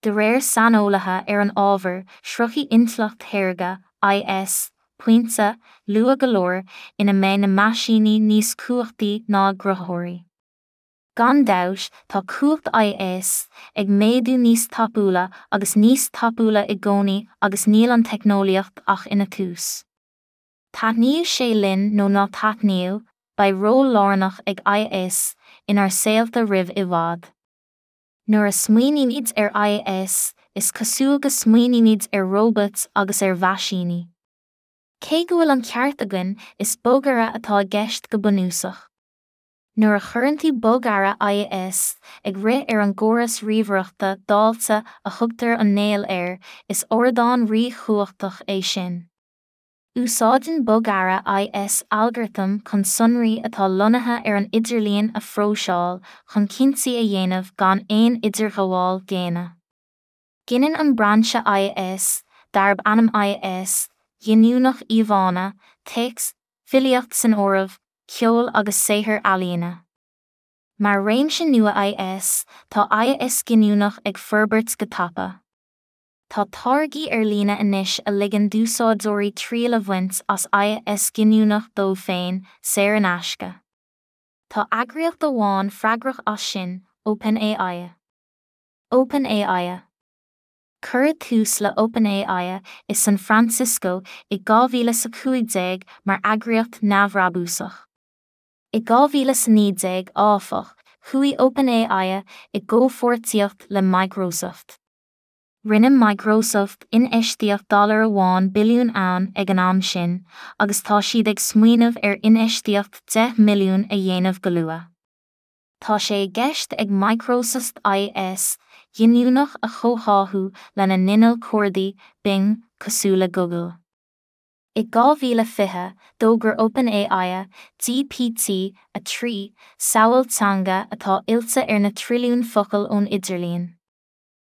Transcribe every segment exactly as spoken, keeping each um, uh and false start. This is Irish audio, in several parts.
De réir saineolaithe ar an ábhar, sroichfidh intleacht shaorga I S pointe, luath go leor, ina mbeidh na meaisíní níos cumhachtaí ná a gcruthaitheoirí. Gan dabht, tá cumhacht I S ag méadú níos tapúla agus níos tapúla i gcónaí agus níl an teicneolaíocht ach ina tús. Taitníodh sé linn nó ná taitníodh, beidh ról lárnach ag I S inár saolta roimh i bhfad. Nuair a smaoinímid ar I S, is cosúil go smaoinímid ar róbait agus ar mheaisíní. Cé go bhfuil an ceart againn, is bogearra atá i gceist go bunúsach. Nuair a chuireann tú bogearra I S ag rith ar an gcóras ríomhaireachta dáilte a thugtar an néal air, is ardán ríchumhachtach é sin. Úsáideann bogearra I S algartam chun sonraí atá lonnaithe ar an idirlíon a phróiseáil chun cinntí a dhéanamh gan aon idirghabháil dhaonna. Gineann an brainse I S, darb ainm I S ghiniúnach, íomhánna, téacs, filíocht san áireamh, ceol agus saothair ealaíne. Mar réimse nua I S, tá I S giniúnach ag forbairt go tapa. Tá táirgí ar líne anois a ligeann d'úsáideoirí triail a bhaint as I S giniúnach dóibh féin, saor in aisce. Tá eagraíocht amháin freagrach as sin, OpenAI. OpenAI. Cuireadh tús le OpenAI i San Francisco i dhá mhíle a cúig déag mar eagraíocht neamhbhrabúsach. I dhá mhíle a naoi déag, áfach, chuaigh OpenAI i gcomhpháirtíocht le Microsoft. Rinne Microsoft infheistíocht dollar amháin billiún ann ag an am sin, agus tá siad ag smaoineamh ar infheistíocht deich mbilliún a dhéanamh go luath. Tá sé i gceist ag Microsoft I S ghiniúnach a chomhtháthú lena n-inneall cuardaigh, Bing, cosúil le Google. I dhá mhíle fiche, d'fhógair OpenAI G P T a trí, samhail teanga atá oilte ar na trilliún focal ón idirlíon.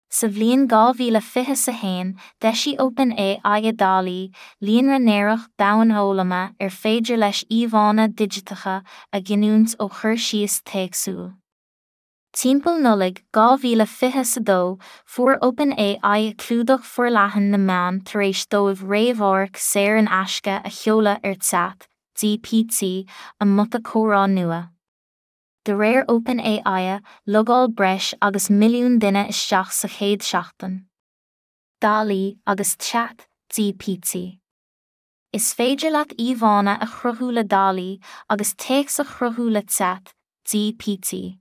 Sa bhliain dhá mhíle fiche a haon, d'eisigh OpenAI DALL-E, líonra néarach domhainfhoghlama ar féidir leis íomhánna digiteacha a ghiniúint ó chur síos téacsúil. Timpeall Nollaig dhá mhíle fiche a dó, fuair OpenAI clúdach forleathan na meán tar éis dóibh réamhamharc saor in aisce a sheoladh ar Chat G P T, a mbota comhrá nua. De réir OpenAI, logáil breis agus milliún duine isteach sa chéad seachtain. DALL-E agus Chat G P T. Is féidir leat íomhánna a chruthú le DALL-E agus téacs a chruthú le Chat G P T.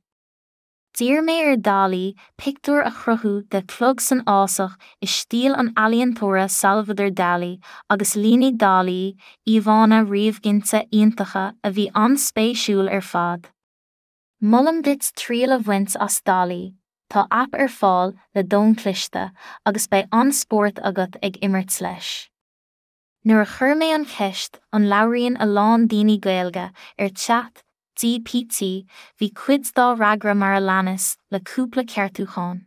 D'iarr mé ar DALL-E pictiúr a chruthú de chlog san fhásach i stíl an ealaíontóra Salvador Dalí agus línigh DALL-E íomhánna ríomhghinte iontacha a bhí an-spéisiúil ar fad. Molaim duit triail a bhaint as DALL-E, tá aip ar fáil le d'fhón cliste agus beidh an-spórt agat ag imirt leis. Nuair a chuir mé an cheist "An labhraíonn a lán daoine Gaeilge?" ar Chat G P T, bhí cuid dá fhreagra mar a leanas, le cúpla ceartúchán.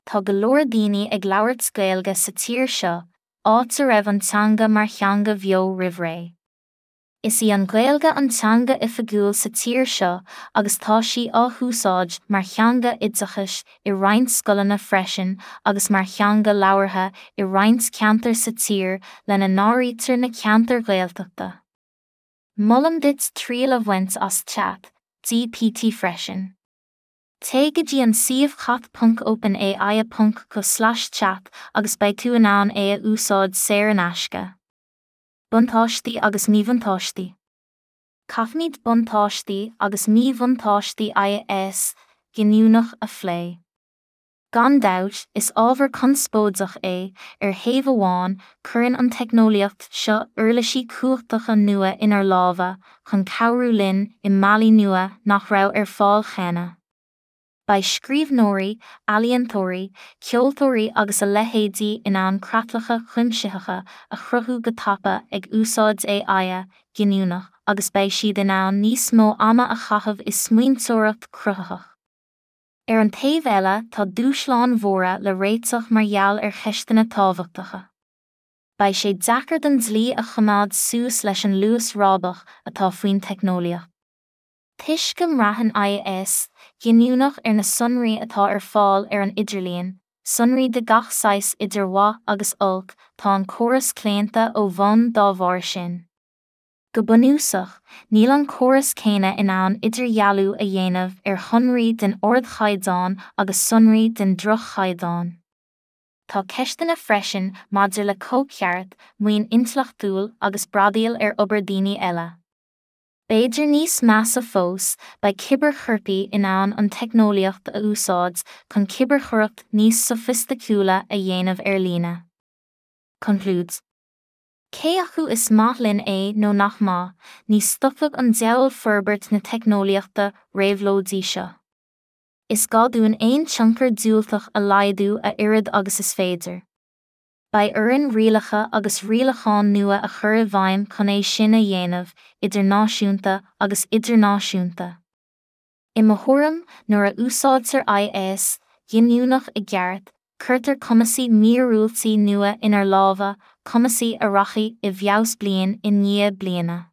Tá go leor daoine ag labhairt Gaeilge sa tír seo, áit a raibh an teanga mar theanga bheo roimh ré. Is í an Ghaeilge an teanga oifigiúil sa tír seo agus tá sí á húsáid mar theanga oideachais i roinnt scoileanna freisin agus mar theanga labhartha i roinnt ceantar sa tír, lena n-áirítear na ceantair Ghaeltachta. Molaim duit triail a bhaint as Chat G P T freisin. Téigh go dtí an suíomh chat ponc openai ponc co slash chat agus beidh tú in ann é a úsáid saor in aisce. Buntáistí agus míbhuntáistí. Caithfimid buntáistí agus míbhuntáistí I S giniúnach a phlé. Gan dabht, is ábhar conspóideach é. Ar thaobh amháin, cuireann an teicneolaíocht seo uirlisí cumhachtacha nua inár lámha chun cabhrú linn i mbealaí nua nach raibh ar fáil cheana. Beidh scríbhneoirí, ealaíontóirí, ceoltóirí agus a leithéidí in ann creatlacha cuimsitheacha a chruthú go tapa ag úsáid A I giniúnach agus beidh siad in ann níos mó ama a chaitheamh i smaointeoireacht chruthaitheach. Ar an taobh eile, tá dúshláin mhóra le réiteach mar gheall ar cheisteanna tábhachtacha. Beidh sé deacair don dlí a choimeád suas leis an luas rábach atá faoin teicneolaíocht. Toisc go mbraitheann I S giniúnach ar na sonraí atá ar fáil ar an idirlíon, Sonraí de gach saghas idir mhaith agus olc, tá an córas claonta ó bhonn dá bharr sin. Go bunúsach, níl an córas céanna in ann idirdhealú a dhéanamh ar shonraí den ardchaighdeán agus sonraí den droch-chaighdeán. Tá ceisteanna freisin maidir le cóipcheart, maoin intleachtúil agus bradaíl ar obair daoine eile. B'fhéidir níos measa fós, beidh cibearchoirpigh in ann an teicneolaíocht a úsáid chun cibearchoireacht níos sofaisticiúla a dhéanamh ar líne. Conclúid. Cé acu is maith linn é nó nach maith, ní stopfaidh an diabhal forbairt na teicneolaíochta réabhlóidí seo. Is gá dúinn aon tionchar diúltach a laghdú a oiread agus is féidir. Beidh orainn rialacha agus rialacháin nua a chur i bhfeidhm chun é sin a dhéanamh, idir náisiúnta agus idirnáisiúnta. I mo thuairim, nuair a úsáidtear I S ghiniúnach i gceart, cuirtear cumasaí míorúiltí nua inár lámha, cumasaí a rachaidh i bhfeabhas bliain i ndiaidh bliana.